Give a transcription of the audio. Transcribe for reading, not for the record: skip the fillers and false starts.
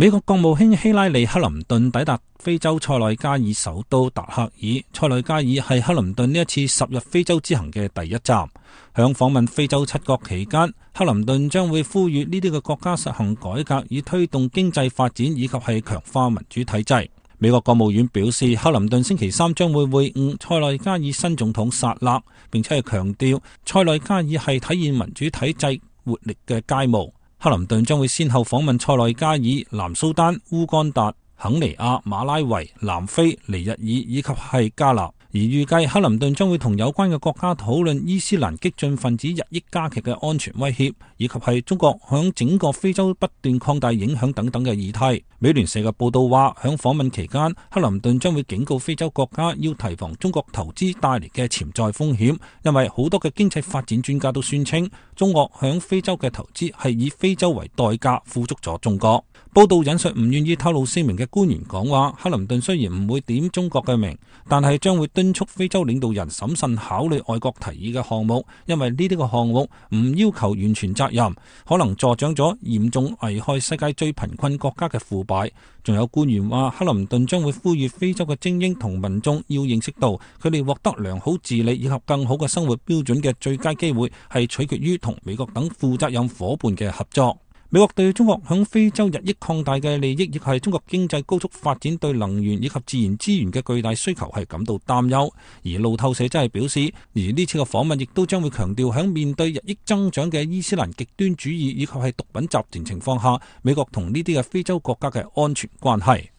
美國國務卿希拉里·克林頓抵達非洲塞內加爾首都達克爾。塞內加爾係克林頓呢一次10日非洲之行嘅第一站。響訪問非洲7國期間，克林頓將會呼籲呢啲嘅國家實行改革，以推動經濟發展以及係強化民主體制。美國國務院表示，克林頓星期3將會會晤塞內加爾新總統薩勒，並且係強調塞內加爾係體現民主體制活力嘅佳模。克林頓將會先後訪問塞內加爾、南蘇丹、烏干達、肯尼亞、馬拉維、南非、尼日爾以及係加納。而預計克林頓將會同有關嘅國家討論伊斯蘭激進分子日益加劇嘅安全威脅，以及係中國響整個非洲不斷擴大影響等等嘅議題。美聯社嘅報道話，響訪問期間，克林頓將會警告非洲國家要提防中國投資帶嚟嘅潛在風險，因為好多嘅經濟發展專家都宣稱，中國響非洲嘅投資係以非洲為代價富足咗中國。報道引述唔願意透露姓名嘅官員講話，克林頓雖然唔會點中國嘅名，但係將會敦促非洲領導人審慎考慮外國提議嘅項目，因為呢啲嘅項目唔要求完全責任，可能助長咗嚴重危害世界最貧困國家嘅腐敗。仲有官員話，克林頓將會呼籲非洲嘅精英同民眾要認識到，佢哋獲得良好治理以及更好嘅生活標準嘅最佳機會係取決於同美國等負責任夥伴嘅合作。美國對中國響非洲日益擴大嘅利益，亦係中國經濟高速發展對能源以及自然資源嘅巨大需求係感到擔憂。而路透社真係表示，而呢次嘅訪問亦都將會強調響面對日益增長嘅伊斯蘭極端主義以及係毒品集團情況下，美國同呢啲嘅非洲國家嘅安全關係。